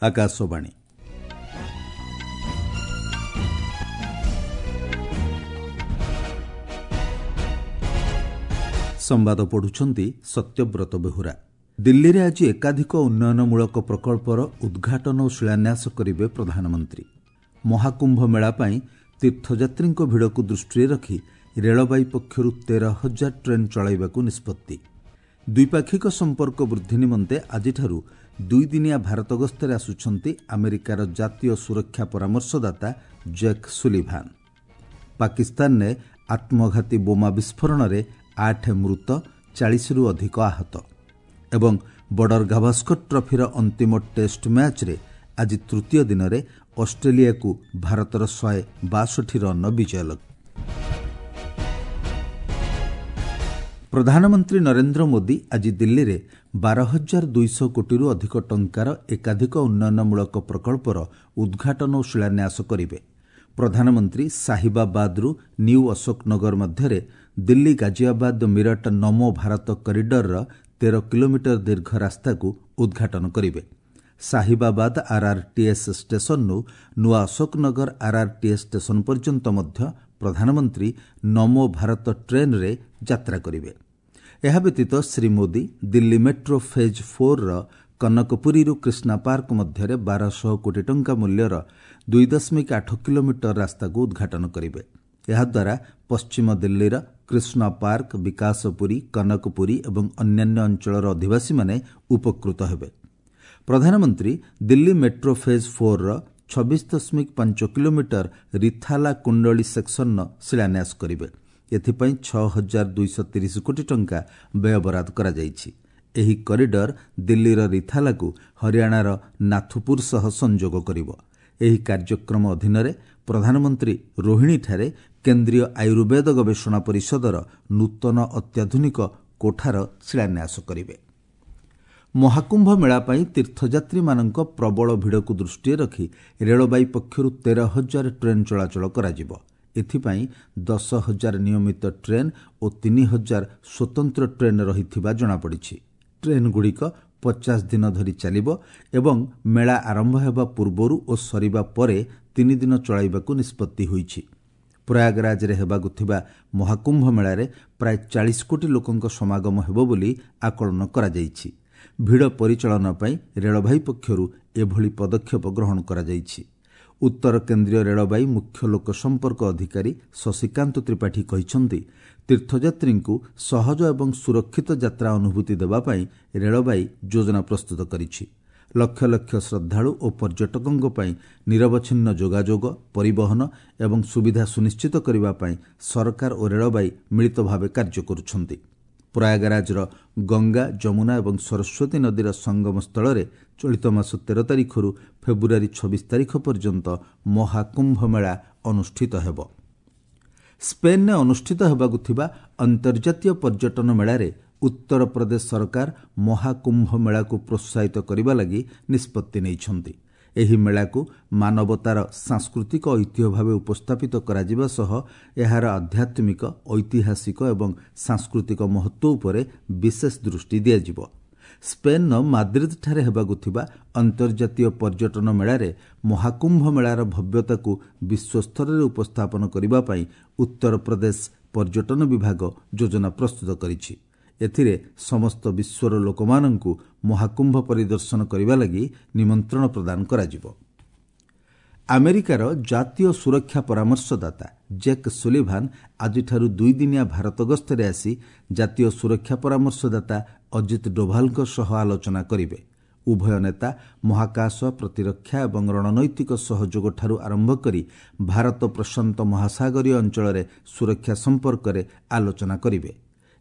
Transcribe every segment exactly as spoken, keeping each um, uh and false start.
ଆକାଶବାଣୀ। ସମ୍ବାଦ ପଢୁଛନ୍ତି ସତ୍ୟବ୍ରତ ବେହୁରା। ଦିଲ୍ଲୀରେ ଆଜି ଏକାଧିକ ଉନ୍ନୟନମୂଳକ ପ୍ରକଳ୍ପର ଉଦ୍ଘାଟନ ଓ ଶିଳାନ୍ୟାସ କରିବେ ପ୍ରଧାନମନ୍ତ୍ରୀ। ମହାକୁମ୍ଭ ମେଳା ପାଇଁ ତୀର୍ଥଯାତ୍ରୀଙ୍କ ଭିଡ଼କୁ ଦୃଷ୍ଟିରେ ରଖି ରେଳବାଇ ପକ୍ଷରୁ ତେର ହଜାର ଟ୍ରେନ୍ ଚଳାଇବାକୁ ନିଷ୍ପତ୍ତି। ଦ୍ୱିପାକ୍ଷିକ ସମ୍ପର୍କ ବୃଦ୍ଧି ନିମନ୍ତେ ଆଜିଠାରୁ ଦୁଇଦିନିଆ ଭାରତ ଗସ୍ତରେ ଆସୁଛନ୍ତି ଆମେରିକାର ଜାତୀୟ ସୁରକ୍ଷା ପରାମର୍ଶଦାତା ଜେକ୍ ସୁଲିଭାନ୍। ପାକିସ୍ତାନରେ ଆତ୍ମଘାତୀ ବୋମା ବିସ୍ଫୋରଣରେ ଆଠ ମୃତ, ଚାଳିଶରୁ ଅଧିକ ଆହତ। ଏବଂ ବର୍ଡର ଗାଭାସ୍କର ଟ୍ରଫିର ଅନ୍ତିମ ଟେଷ୍ଟ ମ୍ୟାଚ୍ରେ ଆଜି ତୃତୀୟ ଦିନରେ ଅଷ୍ଟ୍ରେଲିଆକୁ ଭାରତର ଶହେ ବାଷଠି ରନ୍ର ବିଜୟ ଲକ୍ଷ୍ୟ। ପ୍ରଧାନମନ୍ତ୍ରୀ ନରେନ୍ଦ୍ର ମୋଦି ଆଜି ଦିଲ୍ଲୀରେ ବାର ହଜାର ଦୁଇଶହ କୋଟିରୁ ଅଧିକ ଟଙ୍କାର ଏକାଧିକ ଉନ୍ନୟନମୂଳକ ପ୍ରକଳ୍ପର ଉଦ୍ଘାଟନ ଓ ଶିଳାନ୍ୟାସ କରିବେ। ପ୍ରଧାନମନ୍ତ୍ରୀ ସାହିବାବାଦରୁ ନ୍ୟୁ ଅଶୋକନଗର ମଧ୍ୟରେ ଦିଲ୍ଲୀ ଗାଜିଆବାଦ ମିରଟ ନମୋ ଭାରତ କରିଡରର ତେର କିଲୋମିଟର ଦୀର୍ଘ ରାସ୍ତାକୁ ଉଦ୍ଘାଟନ କରିବେ। ସାହିବାବାଦ ଆର୍ଆର୍ଟିଏସ୍ ଷ୍ଟେସନରୁ ନୂଆ ଅଶୋକନଗର ଆର୍ଆର୍ଟିଏସ୍ ଷ୍ଟେସନ ପର୍ଯ୍ୟନ୍ତ ମଧ୍ୟ ପ୍ରଧାନମନ୍ତ୍ରୀ ନମୋ ଭାରତ ଟ୍ରେନ୍ରେ ଯାତ୍ରା କରିବେ। ଏହା ବ୍ୟତୀତ ଶ୍ରୀ ମୋଦି ଦିଲ୍ଲୀ ମେଟ୍ରୋ ଫେଜ୍ ଫୋର୍ର କନକପୁରୀରୁ କ୍ରିଷ୍ଣା ପାର୍କ ମଧ୍ୟରେ ବାରଶହ କୋଟି ଟଙ୍କା ମୂଲ୍ୟର ଦୁଇ ଦଶମିକ ଆଠ କିଲୋମିଟର ରାସ୍ତାକୁ ଉଦ୍ଘାଟନ କରିବେ। ଏହାଦ୍ୱାରା ପଶ୍ଚିମ ଦିଲ୍ଲୀର କ୍ରିଷ୍ଣା ପାର୍କ, ବିକାଶପୁରୀ, କନକପୁରୀ ଏବଂ ଅନ୍ୟାନ୍ୟ ଅଞ୍ଚଳର ଅଧିବାସୀମାନେ ଉପକୃତ ହେବେ। ପ୍ରଧାନମନ୍ତ୍ରୀ ଦିଲ୍ଲୀ ମେଟ୍ରୋ ଫେଜ୍ ଫୋର୍ର ଛବିଶ ଦଶମିକ ପାଞ୍ଚ କିଲୋମିଟର ରିଥାଲା କୁଣ୍ଡଳୀ ସେକ୍ସନର ଶିଳାନ୍ୟାସ କରିବେ। ଏଥିପାଇଁ ଛଅ ହଜାର ଦୁଇଶହ ତିରିଶ କୋଟି ଟଙ୍କା ବ୍ୟୟବରାଦ କରାଯାଇଛି। ଏହି କରିଡର ଦିଲ୍ଲୀର ରିଥାଲାକୁ ହରିୟାଣାର ନାଥୁପୁର ସହ ସଂଯୋଗ କରିବ। ଏହି କାର୍ଯ୍ୟକ୍ରମ ଅଧୀନରେ ପ୍ରଧାନମନ୍ତ୍ରୀ ରୋହିଣୀଠାରେ କେନ୍ଦ୍ରୀୟ ଆୟୁର୍ବେଦ ଗବେଷଣା ପରିଷଦର ନୂତନ ଅତ୍ୟାଧୁନିକ କୋଠାର ଶିଳାନ୍ୟାସ କରିବେ। ମହାକୁମ୍ଭ ମେଳା ପାଇଁ ତୀର୍ଥଯାତ୍ରୀମାନଙ୍କ ପ୍ରବଳ ଭିଡ଼କୁ ଦୃଷ୍ଟିରେ ରଖି ରେଳବାଇ ପକ୍ଷରୁ ତେର ହଜାର ଟ୍ରେନ୍ ଚଳାଚଳ କରାଯିବ। ଏଥିପାଇଁ ଦଶ ହଜାର ନିୟମିତ ଟ୍ରେନ୍ ଓ ତିନି ହଜାର ସ୍ୱତନ୍ତ୍ର ଟ୍ରେନ୍ ରହିଥିବା ଜଣାପଡ଼ିଛି। ଟ୍ରେନ୍ଗୁଡ଼ିକ ପଚାଶ ଦିନ ଧରି ଚାଲିବ ଏବଂ ମେଳା ଆରମ୍ଭ ହେବା ପୂର୍ବରୁ ଓ ସରିବା ପରେ ତିନି ଦିନ ଚଳାଇବାକୁ ନିଷ୍ପତ୍ତି ହୋଇଛି। ପ୍ରୟାଗରାଜରେ ହେବାକୁ ଥିବା ମହାକୁମ୍ଭ ମେଳାରେ ପ୍ରାୟ ଚାଳିଶ କୋଟି ଲୋକଙ୍କ ସମାଗମ ହେବ ବୋଲି ଆକଳନ କରାଯାଇଛି। ଭିଡ଼ ପରିଚାଳନା ପାଇଁ ରେଳବାଇ ପକ୍ଷରୁ ଏଭଳି ପଦକ୍ଷେପ ଗ୍ରହଣ କରାଯାଇଛି। ଉତ୍ତର କେନ୍ଦ୍ରୀୟ ରେଳବାଇ ମୁଖ୍ୟ ଲୋକସମ୍ପର୍କ ଅଧିକାରୀ ଶଶିକାନ୍ତ ତ୍ରିପାଠୀ କହିଛନ୍ତି, ତୀର୍ଥଯାତ୍ରୀଙ୍କୁ ସହଜ ଏବଂ ସୁରକ୍ଷିତ ଯାତ୍ରା ଅନୁଭୂତି ଦେବା ପାଇଁ ରେଳବାଇ ଯୋଜନା ପ୍ରସ୍ତୁତ କରିଛି। ଲକ୍ଷ ଲକ୍ଷ ଶ୍ରଦ୍ଧାଳୁ ଓ ପର୍ଯ୍ୟଟକଙ୍କ ପାଇଁ ନିରବଚ୍ଛିନ୍ନ ଯୋଗାଯୋଗ, ପରିବହନ ଏବଂ ସୁବିଧା ସୁନିଶ୍ଚିତ କରିବା ପାଇଁ ସରକାର ଓ ରେଳବାଇ ମିଳିତ ଭାବେ କାର୍ଯ୍ୟ କରୁଛନ୍ତି। ପ୍ରୟାଗରାଜର ଗଙ୍ଗା, ଯମୁନା ଏବଂ ସରସ୍ୱତୀ ନଦୀର ସଙ୍ଗମ ସ୍ଥଳରେ ଚଳିତ ମାସ ତେର ତାରିଖରୁ ଫେବୃଆରୀ ଛବିଶ ତାରିଖ ପର୍ଯ୍ୟନ୍ତ ମହାକୁମ୍ଭ ମେଳା ଅନୁଷ୍ଠିତ ହେବ। ସ୍ପେନ୍ରେ ଅନୁଷ୍ଠିତ ହେବାକୁ ଥିବା ଅନ୍ତର୍ଜାତୀୟ ପର୍ଯ୍ୟଟନ ମେଳାରେ ଉତ୍ତରପ୍ରଦେଶ ସରକାର ମହାକୁମ୍ଭ ମେଳାକୁ ପ୍ରୋତ୍ସାହିତ କରିବା ଲାଗି ନିଷ୍ପତ୍ତି ନେଇଛନ୍ତି। ଏହି ମେଳାକୁ ମାନବତାର ସାଂସ୍କୃତିକ ଐତିହ୍ୟ ଭାବେ ଉପସ୍ଥାପିତ କରାଯିବା ସହ ଏହାର ଆଧ୍ୟାତ୍ମିକ, ଐତିହାସିକ ଏବଂ ସାଂସ୍କୃତିକ ମହତ୍ତ୍ୱ ଉପରେ ବିଶେଷ ଦୃଷ୍ଟି ଦିଆଯିବ। ସ୍ପେନ୍ର ମାଦ୍ରିଦଠାରେ ହେବାକୁ ଥିବା ଅନ୍ତର୍ଜାତୀୟ ପର୍ଯ୍ୟଟନ ମେଳାରେ ମହାକୁମ୍ଭ ମେଳାର ଭବ୍ୟତାକୁ ବିଶ୍ୱସ୍ତରରେ ଉପସ୍ଥାପନ କରିବା ପାଇଁ ଉତ୍ତରପ୍ରଦେଶ ପର୍ଯ୍ୟଟନ ବିଭାଗ ଯୋଜନା ପ୍ରସ୍ତୁତ କରିଛି। ଏଥିରେ ସମସ୍ତ ବିଶ୍ୱର ଲୋକମାନଙ୍କୁ ମହାକୁମ୍ଭ ପରିଦର୍ଶନ କରିବା ଲାଗି ନିମନ୍ତ୍ରଣ ପ୍ରଦାନ କରାଯିବ। ଆମେରିକାର ଜାତୀୟ ସୁରକ୍ଷା ପରାମର୍ଶଦାତା ଜେକ୍ ସୁଲିଭାନ୍ ଆଜିଠାରୁ ଦୁଇଦିନିଆ ଭାରତ ଗସ୍ତରେ ଆସି ଜାତୀୟ ସୁରକ୍ଷା ପରାମର୍ଶଦାତା ଅଜିତ ଡୋଭାଲଙ୍କ ସହ ଆଲୋଚନା କରିବେ। ଉଭୟ ନେତା ମହାକାଶ, ପ୍ରତିରକ୍ଷା ଏବଂ ରଣନୈତିକ ସହଯୋଗଠାରୁ ଆରମ୍ଭ କରି ଭାରତ ପ୍ରଶାନ୍ତ ମହାସାଗରୀୟ ଅଞ୍ଚଳରେ ସୁରକ୍ଷା ସମ୍ପର୍କରେ ଆଲୋଚନା କରିବେ।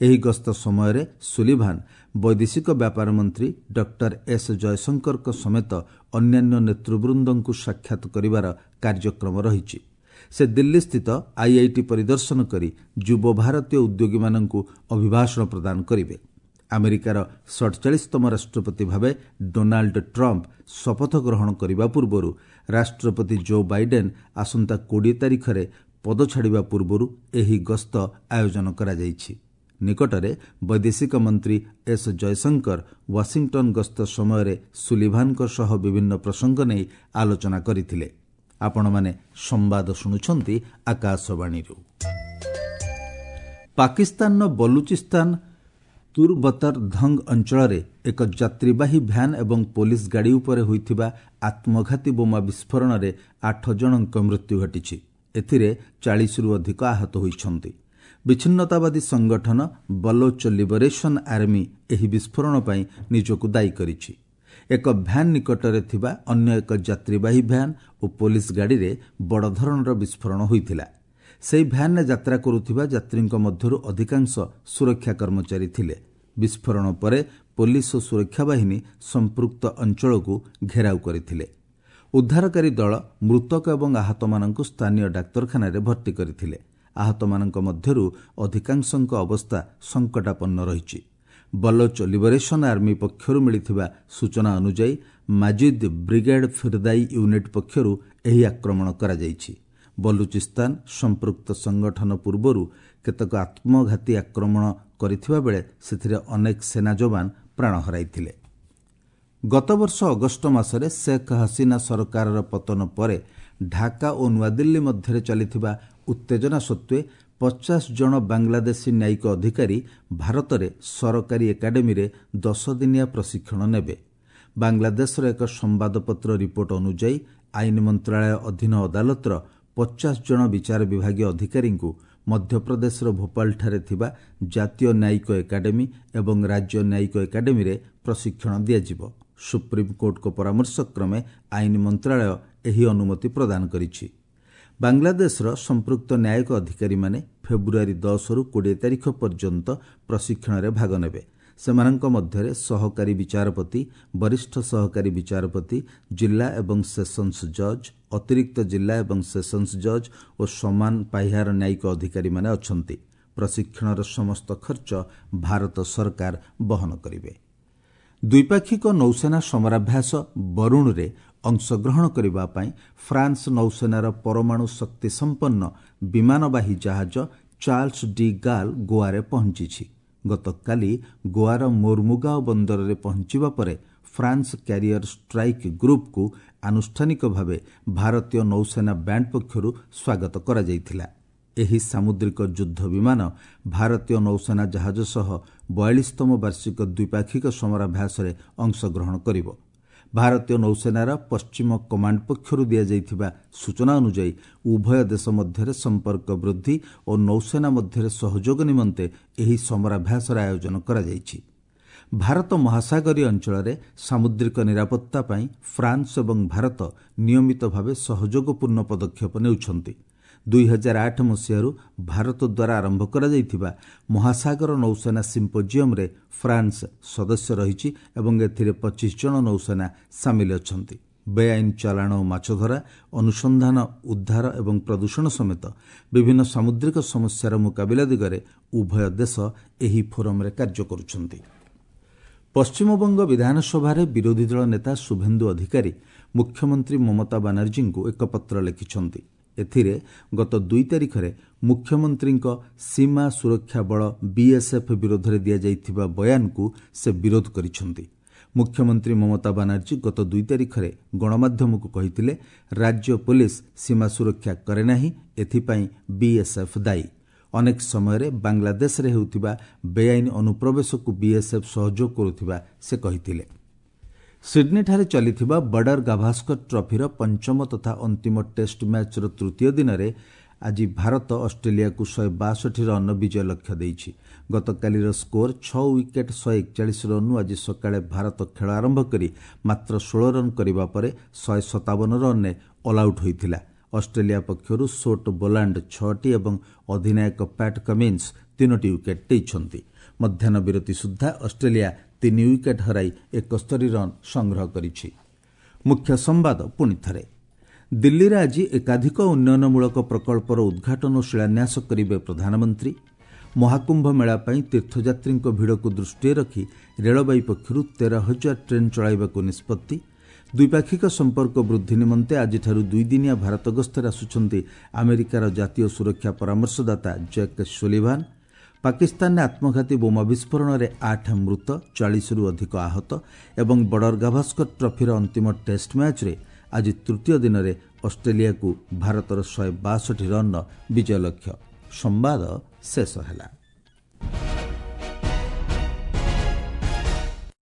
ଏହି ଗସ୍ତ ସମୟରେ ସୁଲିଭାନ୍ ବୈଦେଶିକ ବ୍ୟାପାର ମନ୍ତ୍ରୀ ଡକ୍ଟର ଏସ୍ ଜୟଶଙ୍କରଙ୍କ ସମେତ ଅନ୍ୟାନ୍ୟ ନେତୃବୃନ୍ଦଙ୍କୁ ସାକ୍ଷାତ କରିବାର କାର୍ଯ୍ୟକ୍ରମ ରହିଛି। ସେ ଦିଲ୍ଲୀସ୍ଥିତ ଆଇଆଇଟି ପରିଦର୍ଶନ କରି ଯୁବ ଭାରତୀୟ ଉଦ୍ୟୋଗୀମାନଙ୍କୁ ଅଭିଭାଷଣ ପ୍ରଦାନ କରିବେ। ଆମେରିକାର ସଡ଼ଚାଳିଶତମ ରାଷ୍ଟ୍ରପତି ଭାବେ ଡୋନାଲ୍ଡ ଟ୍ରମ୍ପ ଶପଥ ଗ୍ରହଣ କରିବା ପୂର୍ବରୁ ରାଷ୍ଟ୍ରପତି ଜୋ ବାଇଡେନ୍ ଆସନ୍ତା କୋଡ଼ିଏ ତାରିଖରେ ପଦ ଛାଡ଼ିବା ପୂର୍ବରୁ ଏହି ଗସ୍ତ ଆୟୋଜନ କରାଯାଇଛି। ନିକଟରେ ବୈଦେଶିକ ମନ୍ତ୍ରୀ ଏସ୍ ଜୟଶଙ୍କର ୱାଶିଂଟନ୍ ଗସ୍ତ ସମୟରେ ସୁଲିଭାନଙ୍କ ସହ ବିଭିନ୍ନ ପ୍ରସଙ୍ଗ ନେଇ ଆଲୋଚନା କରିଥିଲେ। ଆପଣମାନେ ସମ୍ବାଦ ଶୁଣୁଛନ୍ତି ଆକାଶବାଣୀରୁ। ପାକିସ୍ତାନର ବଲୁଚିସ୍ତାନ ତୁରବତର ଧଙ୍ଗ ଅଞ୍ଚଳରେ ଏକ ଯାତ୍ରୀବାହୀ ଭ୍ୟାନ୍ ଏବଂ ପୋଲିସ ଗାଡ଼ି ଉପରେ ହୋଇଥିବା ଆତ୍ମଘାତୀ ବୋମା ବିସ୍ଫୋରଣରେ ଆଠ ଜଣଙ୍କ ମୃତ୍ୟୁ ଘଟିଛି। ଏଥିରେ ଚାଳିଶରୁ ଅଧିକ ଆହତ ହୋଇଛନ୍ତି। ବିଚ୍ଛିନ୍ନତାବାଦୀ ସଂଗଠନ ବଲୋଚ ଲିବରେସନ୍ ଆର୍ମି ଏହି ବିସ୍ଫୋରଣ ପାଇଁ ନିଜକୁ ଦାୟୀ କରିଛି। ଏକ ଭ୍ୟାନ୍ ନିକଟରେ ଥିବା ଅନ୍ୟ ଏକ ଯାତ୍ରୀବାହୀ ଭ୍ୟାନ୍ ଓ ପୋଲିସ ଗାଡ଼ିରେ ବଡ଼ ଧରଣର ବିସ୍ଫୋରଣ ହୋଇଥିଲା। ସେହି ଭ୍ୟାନ୍ରେ ଯାତ୍ରା କରୁଥିବା ଯାତ୍ରୀଙ୍କ ମଧ୍ୟରୁ ଅଧିକାଂଶ ସୁରକ୍ଷା କର୍ମଚାରୀ ଥିଲେ। ବିସ୍ଫୋରଣ ପରେ ପୋଲିସ ଓ ସୁରକ୍ଷା ବାହିନୀ ସମ୍ପୃକ୍ତ ଅଞ୍ଚଳକୁ ଘେରାଉ କରିଥିଲେ। ଉଦ୍ଧାରକାରୀ ଦଳ ମୃତକ ଏବଂ ଆହତମାନଙ୍କୁ ସ୍ଥାନୀୟ ଡାକ୍ତରଖାନାରେ ଭର୍ତ୍ତି କରିଥିଲେ। ଆହତମାନଙ୍କ ମଧ୍ୟରୁ ଅଧିକାଂଶଙ୍କ ଅବସ୍ଥା ସଙ୍କଟାପନ୍ନ ରହିଛି। ବଲୋଚ ଲିବରେସନ୍ ଆର୍ମି ପକ୍ଷରୁ ମିଳିଥିବା ସୂଚନା ଅନୁଯାୟୀ ମାଜିଦ୍ ବ୍ରିଗେଡ୍ ଫିର୍ଦାଇ ୟୁନିଟ୍ ପକ୍ଷରୁ ଏହି ଆକ୍ରମଣ କରାଯାଇଛି। ବଲୁଚିସ୍ତାନ ସମ୍ପୃକ୍ତ ସଂଗଠନ ପୂର୍ବରୁ କେତେକ ଆତ୍ମଘାତୀ ଆକ୍ରମଣ କରିଥିବା ବେଳେ ସେଥିରେ ଅନେକ ସେନା ଯବାନ ପ୍ରାଣ ହରାଇଥିଲେ। ଗତବର୍ଷ ଅଗଷ୍ଟ ମାସରେ ଶେଖ୍ ହସିନା ସରକାରର ପତନ ପରେ ଢାକା ଓ ନୂଆଦିଲ୍ଲୀ ମଧ୍ୟରେ ଚାଲିଥିବା ଉତ୍ତେଜନା ସତ୍ତ୍ୱେ ପଚାଶ ଜଣ ବାଂଲାଦେଶୀ ନ୍ୟାୟିକ ଅଧିକାରୀ ଭାରତରେ ସରକାରୀ ଏକାଡେମୀରେ ଦଶ ଦିନିଆ ପ୍ରଶିକ୍ଷଣ ନେବେ। ବାଂଲାଦେଶର ଏକ ସମ୍ବାଦପତ୍ର ରିପୋର୍ଟ ଅନୁଯାୟୀ ଆଇନ ମନ୍ତ୍ରଣାଳୟ ଅଧୀନ ଅଦାଲତର ପଚାଶ ଜଣ ବିଚାର ବିଭାଗୀୟ ଅଧିକାରୀଙ୍କୁ ମଧ୍ୟପ୍ରଦେଶର ଭୋପାଳଠାରେ ଥିବା ଜାତୀୟ ନ୍ୟାୟିକ ଏକାଡେମୀ ଏବଂ ରାଜ୍ୟ ନ୍ୟାୟିକ ଏକାଡେମୀରେ ପ୍ରଶିକ୍ଷଣ ଦିଆଯିବ। ସୁପ୍ରିମକୋର୍ଟଙ୍କ ପରାମର୍ଶକ୍ରମେ ଆଇନ ମନ୍ତ୍ରଣାଳୟ ଏହି ଅନୁମତି ପ୍ରଦାନ କରିଛି। ବାଂଲାଦେଶର ସମ୍ପୃକ୍ତ ନ୍ୟାୟିକ ଅଧିକାରୀମାନେ ଫେବୃଆରୀ ଦଶରୁ କୋଡ଼ିଏ ତାରିଖ ପର୍ଯ୍ୟନ୍ତ ପ୍ରଶିକ୍ଷଣରେ ଭାଗ ନେବେ। ସେମାନଙ୍କ ମଧ୍ୟରେ ସହକାରୀ ବିଚାରପତି, ବରିଷ୍ଠ ସହକାରୀ ବିଚାରପତି, ଜିଲ୍ଲା ଏବଂ ସେସନ୍ସ ଜଜ୍, ଅତିରିକ୍ତ ଜିଲ୍ଲା ଏବଂ ସେସନ୍ସ ଜଜ୍ ଓ ସମାନ ପାହ୍ୟାର ନ୍ୟାୟିକ ଅଧିକାରୀମାନେ ଅଛନ୍ତି। ପ୍ରଶିକ୍ଷଣର ସମସ୍ତ ଖର୍ଚ୍ଚ ଭାରତ ସରକାର ବହନ କରିବେ। ଦ୍ୱିପାକ୍ଷିକ ନୌସେନା ସମରାଭ୍ୟାସ ବରୁଣରେ ଅଂଶଗ୍ରହଣ କରିବା ପାଇଁ ଫ୍ରାନ୍ସ ନୌସେନାର ପରମାଣୁ ଶକ୍ତିସମ୍ପନ୍ନ ବିମାନବାହୀ ଜାହାଜ ଚାର୍ଲସ ଡି ଗାଲ୍ ଗୋଆରେ ପହଞ୍ଚିଛି। ଗତକାଲି ଗୋଆର ମୋର୍ମୁଗାଓ ବନ୍ଦରରେ ପହଞ୍ଚିବା ପରେ ଫ୍ରାନ୍ସ କ୍ୟାରିୟର ଷ୍ଟ୍ରାଇକ୍ ଗ୍ରୁପ୍କୁ ଆନୁଷ୍ଠାନିକ ଭାବେ ଭାରତୀୟ ନୌସେନା ବ୍ୟାଣ୍ଡ ପକ୍ଷରୁ ସ୍ୱାଗତ କରାଯାଇଥିଲା। ଏହି ସାମୁଦ୍ରିକ ଯୁଦ୍ଧ ବିମାନ ଭାରତୀୟ ନୌସେନା ଜାହାଜ ସହ ବୟାଳିଶତମ ବାର୍ଷିକ ଦ୍ୱିପାକ୍ଷିକ ସମରାଭ୍ୟାସରେ ଅଂଶଗ୍ରହଣ କରିବ। ଭାରତୀୟ ନୌସେନାର ପଶ୍ଚିମ କମାଣ୍ଡ ପକ୍ଷରୁ ଦିଆଯାଇଥିବା ସୂଚନା ଅନୁଯାୟୀ ଉଭୟ ଦେଶ ମଧ୍ୟରେ ସମ୍ପର୍କ ବୃଦ୍ଧି ଓ ନୌସେନା ମଧ୍ୟରେ ସହଯୋଗ ନିମନ୍ତେ ଏହି ସମରାଭ୍ୟାସର ଆୟୋଜନ କରାଯାଇଛି। ଭାରତ ମହାସାଗରୀୟ ଅଞ୍ଚଳରେ ସାମୁଦ୍ରିକ ନିରାପତ୍ତା ପାଇଁ ଫ୍ରାନ୍ସ ଏବଂ ଭାରତ ନିୟମିତ ଭାବେ ସହଯୋଗପୂର୍ଣ୍ଣ ପଦକ୍ଷେପ ନେଉଛନ୍ତି। ଦୁଇ ହଜାର ଆଠ ମସିହାରୁ ଭାରତ ଦ୍ୱାରା ଆରମ୍ଭ କରାଯାଇଥିବା ମହାସାଗର ନୌସେନା ସିମ୍ପୋଜିୟମରେ ଫ୍ରାନ୍ସ ସଦସ୍ୟ ରହିଛି ଏବଂ ଏଥିରେ ପଚିଶ ଜଣ ନୌସେନା ସାମିଲ ଅଛନ୍ତି। ବେଆଇନ ଚାଲାଣ ଓ ମାଛଧରା, ଅନୁସନ୍ଧାନ, ଉଦ୍ଧାର ଏବଂ ପ୍ରଦୂଷଣ ସମେତ ବିଭିନ୍ନ ସାମୁଦ୍ରିକ ସମସ୍ୟାର ମୁକାବିଲା ଦିଗରେ ଉଭୟ ଦେଶ ଏହି ଫୋରମରେ କାର୍ଯ୍ୟ କରୁଛନ୍ତି। ପଶ୍ଚିମବଙ୍ଗ ବିଧାନସଭାରେ ବିରୋଧୀ ଦଳ ନେତା ଶୁଭେନ୍ଦୁ ଅଧିକାରୀ ମୁଖ୍ୟମନ୍ତ୍ରୀ ମମତା ବାନାର୍ଜୀଙ୍କୁ ଏକ ପତ୍ର ଲେଖିଛନ୍ତି। ଏଥିରେ ଗତ ଦୁଇ ତାରିଖରେ ମୁଖ୍ୟମନ୍ତ୍ରୀଙ୍କ ସୀମା ସୁରକ୍ଷା ବଳ ବିଏସ୍ଏଫ୍ ବିରୋଧରେ ଦିଆଯାଇଥିବା ବୟାନକୁ ସେ ବିରୋଧ କରିଛନ୍ତି। ମୁଖ୍ୟମନ୍ତ୍ରୀ ମମତା ବାନାର୍ଜୀ ଗତ ଦୁଇ ତାରିଖରେ ଗଣମାଧ୍ୟମକୁ କହିଥିଲେ, ରାଜ୍ୟ ପୋଲିସ ସୀମା ସୁରକ୍ଷା କରେ ନାହିଁ, ଏଥିପାଇଁ ବିଏସ୍ଏଫ୍ ଦାୟୀ। ଅନେକ ସମୟରେ ବାଂଲାଦେଶରେ ହେଉଥିବା ବେଆଇନ ଅନୁପ୍ରବେଶକୁ ବିଏସ୍ଏଫ୍ ସହଯୋଗ କରୁଥିବା ସେ କହିଥିଲେ। ସିଡ୍ନୀଠାରେ ଚାଲିଥିବା ବର୍ଡର ଗାଭାସ୍କର ଟ୍ରଫିର ପଞ୍ଚମ ତଥା ଅନ୍ତିମ ଟେଷ୍ଟ ମ୍ୟାଚ୍ର ତୃତୀୟ ଦିନରେ ଆଜି ଭାରତ ଅଷ୍ଟ୍ରେଲିଆକୁ ଶହେ ବାଷଠି ରନ୍ର ବିଜୟ ଲକ୍ଷ୍ୟ ଦେଇଛି। ଗତକାଲିର ସ୍କୋର ଛଅ ୱିକେଟ୍ ଶହେ ଏକଚାଳିଶ ରନ୍ରୁ ଆଜି ସକାଳେ ଭାରତ ଖେଳ ଆରମ୍ଭ କରି ମାତ୍ର ଷୋହଳ ରନ୍ କରିବା ପରେ ଶହେ ସତାବନ ରନ୍ରେ ଅଲ୍ଆଉଟ୍ ହୋଇଥିଲା। ଅଷ୍ଟ୍ରେଲିଆ ପକ୍ଷରୁ ସୋଟ୍ ବୋଲାଣ୍ଡ ଛଅଟି ଏବଂ ଅଧିନାୟକ ପ୍ୟାଟ୍ କମିନ୍ସ ତିନୋଟି ୱିକେଟ୍ ନେଇଛନ୍ତି। ମଧ୍ୟାହ୍ନ ବିରତି ସୁଦ୍ଧା ଅଷ୍ଟ୍ରେଲିଆ ତିନି ୱିକେଟ୍ ହରାଇ ଏକସ୍ତରୀ ରନ୍ ସଂଗ୍ରହ କରିଛି। ମୁଖ୍ୟ ସମ୍ବାଦ ପୁଣି ଥରେ, ଦିଲ୍ଲୀରେ ଆଜି ଏକାଧିକ ଉନ୍ନୟନମୂଳକ ପ୍ରକଳ୍ପର ଉଦ୍ଘାଟନ ଓ ଶିଳାନ୍ୟାସ କରିବେ ପ୍ରଧାନମନ୍ତ୍ରୀ। ମହାକୁମ୍ଭ ମେଳା ପାଇଁ ତୀର୍ଥଯାତ୍ରୀଙ୍କ ଭିଡ଼କୁ ଦୃଷ୍ଟିରେ ରଖି ରେଳବାଇ ପକ୍ଷରୁ ତେର ହଜାର ଟ୍ରେନ୍ ଚଳାଇବାକୁ ନିଷ୍ପତ୍ତି। ଦ୍ୱିପାକ୍ଷିକ ସମ୍ପର୍କ ବୃଦ୍ଧି ନିମନ୍ତେ ଆଜିଠାରୁ ଦୁଇଦିନିଆ ଭାରତ ଗସ୍ତରେ ଆସୁଛନ୍ତି ଆମେରିକାର ଜାତୀୟ ସୁରକ୍ଷା ପରାମର୍ଶଦାତା ଜେକ୍ ସୁଲିଭାନ୍। ପାକିସ୍ତାନରେ ଆତ୍ମଘାତୀ ବୋମା ବିସ୍ଫୋରଣରେ ଆଠ ମୃତ, ଚାଳିଶରୁ ଅଧିକ ଆହତ ଏବଂ ବର୍ଡର ଗାଭାସ୍କର ଟ୍ରଫିର ଅନ୍ତିମ ଟେଷ୍ଟ ମ୍ୟାଚ୍ରେ ଆଜି ତୃତୀୟ ଦିନରେ ଅଷ୍ଟ୍ରେଲିଆକୁ ଭାରତର ଶହେ ବାଷଠି ରନ୍ର ବିଜୟ ଲକ୍ଷ୍ୟ। ସମ୍ବାଦ ଶେଷ ହେଲା।